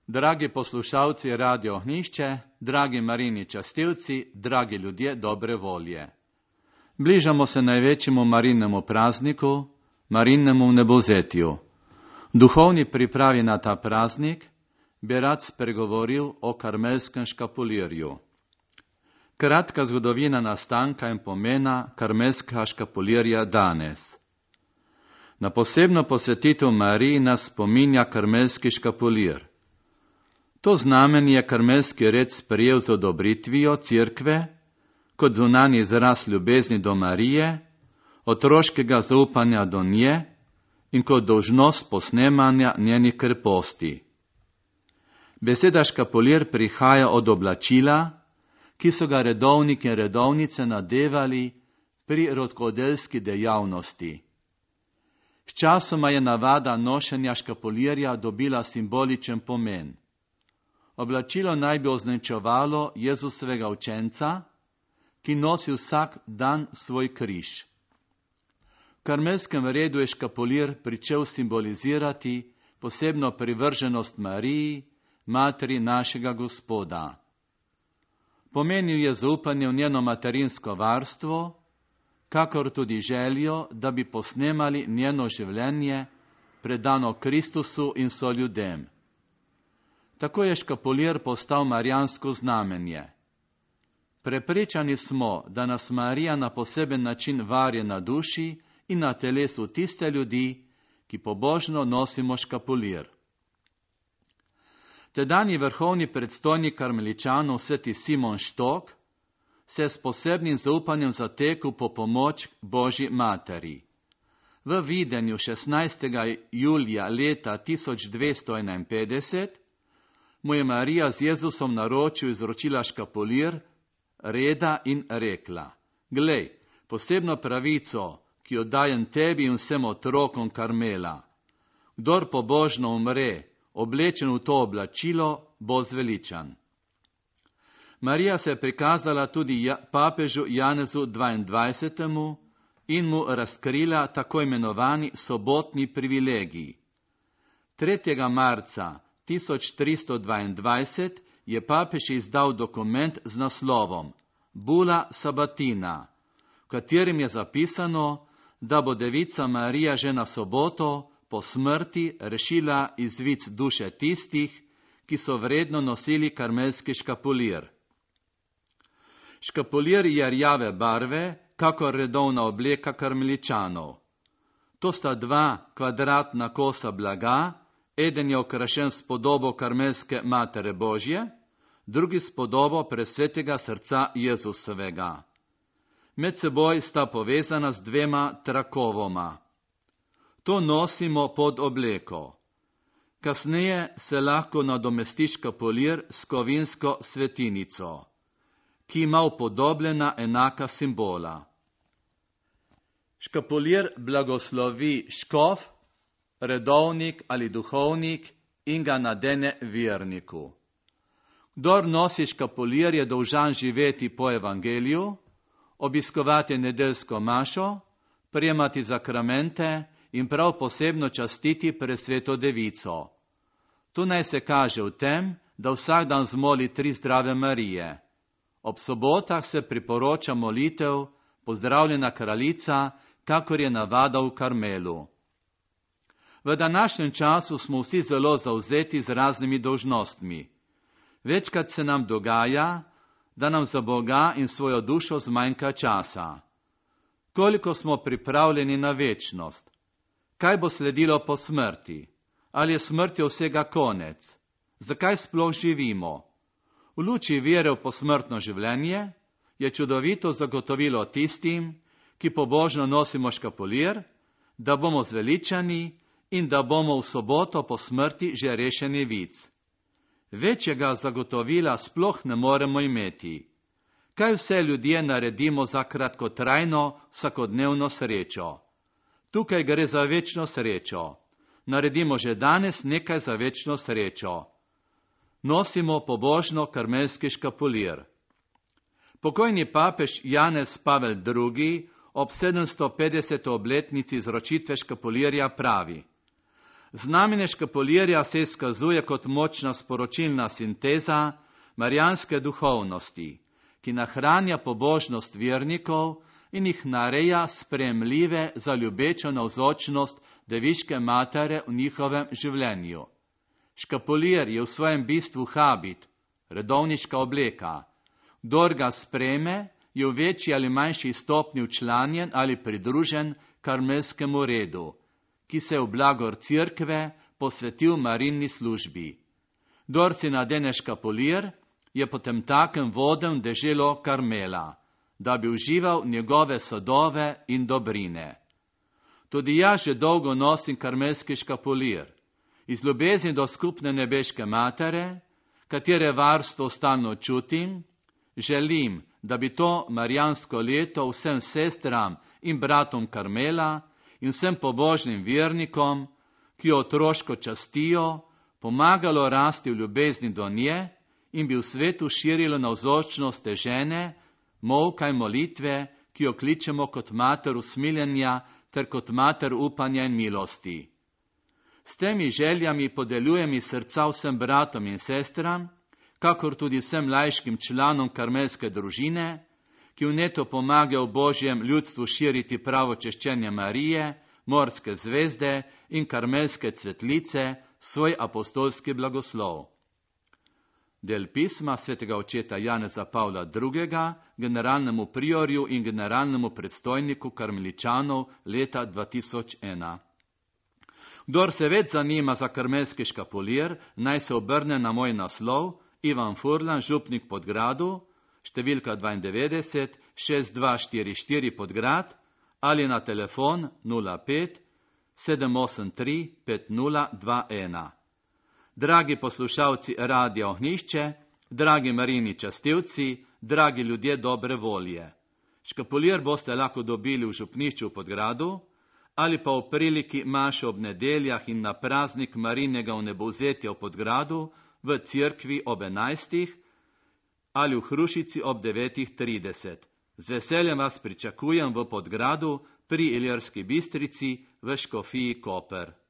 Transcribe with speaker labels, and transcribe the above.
Speaker 1: Dragi poslušalci Radio Ohnišče, dragi Marini častilci, dragi ljudje dobre volje. Bližamo se največjemu Marinemu prazniku, Marinemu vnebovzetju. Duhovni pripravi na ta praznik bi rad spregovoril o karmelskem škapulirju. Kratka zgodovina nastanka in pomena karmelskega škapulirja danes. Na posebno posvetitev Mariji nas spominja karmelski škapulir. To znamenje je karmelski red sprejel z odobritvijo Cerkve kot zunanji izraz ljubezni do Marije, otroškega zaupanja do nje in kot dolžnost posnemanja njenih kreposti. Beseda škapulir prihaja od oblačila, ki so ga redovniki in redovnice nadevali pri rokodelski dejavnosti. Sčasoma je navada nošenja škapulirja dobila simboličen pomen. Oblačilo naj bi označevalo Jezusovega učenca, ki nosi vsak dan svoj križ. V karmelskem redu je škapulir pričel simbolizirati posebno privrženost Mariji, materi našega Gospoda. Pomenil je zaupanje v njeno materinsko varstvo, kakor tudi željo, da bi posnemali njeno življenje, predano Kristusu in soljudem. Tako je škapulir postal marijansko znamenje. Prepričani smo, da nas Marija na poseben način varje na duši in na telesu tiste ljudi, ki pobožno nosimo škapulir. Tedanji vrhovni predstojnik karmeličanov sveti Simon Štok se je s posebnim zaupanjem zatekel po pomoč Božji materi. V videnju 16. julija leta 1251 mu je Marija z Jezusom na ročju izročila škapulir reda in rekla: Glej, posebno pravico, ki jo dajem tebi in vsem otrokom Karmela. Kdor pobožno umre, oblečen v to oblačilo, bo zveličan. Marija se je prikazala tudi papežu Janezu 22. in mu razkrila tako imenovani sobotni privilegij. 3. marca 1322 je papež izdal dokument z naslovom Bula Sabatina, v katerem je zapisano, da bo devica Marija že na soboto po smrti rešila iz vic duše tistih, ki so vredno nosili karmelski škapulir. Škapulir je rjave barve, kakor redovna obleka karmeličanov. To sta dva kvadratna kosa blaga, eden je okrašen s podobo karmelske Matere Božje, drugi s podobo presvetega srca Jezusovega. Med seboj sta povezana z dvema trakovoma. To nosimo pod obleko. Kasneje se lahko nadomesti škapulir s kovinsko svetinico, ki ima upodobljena enaka simbola. Škapulir blagoslovi škof, redovnik ali duhovnik in ga nadene verniku. Kdor nosi škapulir, je dolžan živeti po evangeliju, obiskovati nedeljsko mašo, prijemati zakramente in prav posebno častiti presveto devico. Tu naj se kaže v tem, da vsak dan zmoli 3 zdrave Marije. Ob sobotah se priporoča molitev Pozdravljena kraljica, kakor je navada v Karmelu. V današnjem času smo vsi zelo zavzeti z raznimi dolžnostmi. Večkrat se nam dogaja, da nam za Boga in svojo dušo zmanjka časa. Koliko smo pripravljeni na večnost? Kaj bo sledilo po smrti? Ali je smrti vsega konec? Zakaj sploh živimo? V luči vere v posmrtno življenje je čudovito zagotovilo tistim, ki pobožno nosimo škapulir, da bomo zveličani in da bomo v soboto po smrti že rešeni vic. Večjega zagotovila sploh ne moremo imeti. Kaj vse ljudje naredimo za kratkotrajno, vsakodnevno srečo? Tukaj gre za večno srečo. Naredimo že danes nekaj za večno srečo. Nosimo pobožno karmelski škapulir. Pokojni papež Janez Pavel II. Ob 750. obletnici izročitve škapulirja pravi: Znamenje škapulirja se izkazuje kot močna sporočilna sinteza marijanske duhovnosti, ki nahranja pobožnost vernikov in jih nareja sprejemljive za ljubečo navzočnost Deviške matere v njihovem življenju. Škapulir je v svojem bistvu habit, redovniška obleka. Kdor ga sprejme, je v večji ali manjši stopnji včlanjen ali pridružen karmelskemu redu, ki se v blagor cerkve posvetil Marini službi. Kdor si nadene škapulir, je potemtakem voden v deželo Karmela, da bi užival njegove sadove in dobrine. Tudi jaz že dolgo nosim karmelski škapulir, iz ljubezni do skupne nebeške matere, katere varstvo stalno čutim, želim, da bi to marijansko leto vsem sestram in bratom Karmela in vsem pobožnim vernikom, ki jo otroško častijo, pomagalo rasti v ljubezni do nje in bi v svetu širilo navzočnost te žene, molka in molitve, ki jo kličemo kot mater usmiljenja ter kot mater upanja in milosti. S temi željami podeljujem iz srca vsem bratom in sestram, kakor tudi vsem laiškim članom karmelske družine, ki vneto pomaga v Božjem ljudstvu širiti pravo češčenje Marije, morske zvezde in karmelske cvetlice, svoj apostolski blagoslov. Del pisma svetega očeta Janeza Pavla II., generalnemu priorju in generalnemu predstojniku karmeličanov leta 2001. Kdor se več zanima za karmelski škapulir, naj se obrne na moj naslov Ivan Furlan, župnik Podgradu, številka 92 6244 Podgrad ali na telefon 05 783 5021. Dragi poslušalci Radia Ognjišče, dragi Marini častilci, dragi ljudje dobre volje. Škapulir boste lahko dobili v župnišču v Podgradu ali pa v priliki maše ob nedeljah in na praznik Marinega vnebovzetja v Podgradu v cerkvi ob 11. ali v Hrušici ob 9:30. Z veseljem vas pričakujem v Podgradu pri Ilirski Bistrici v Škofiji Koper.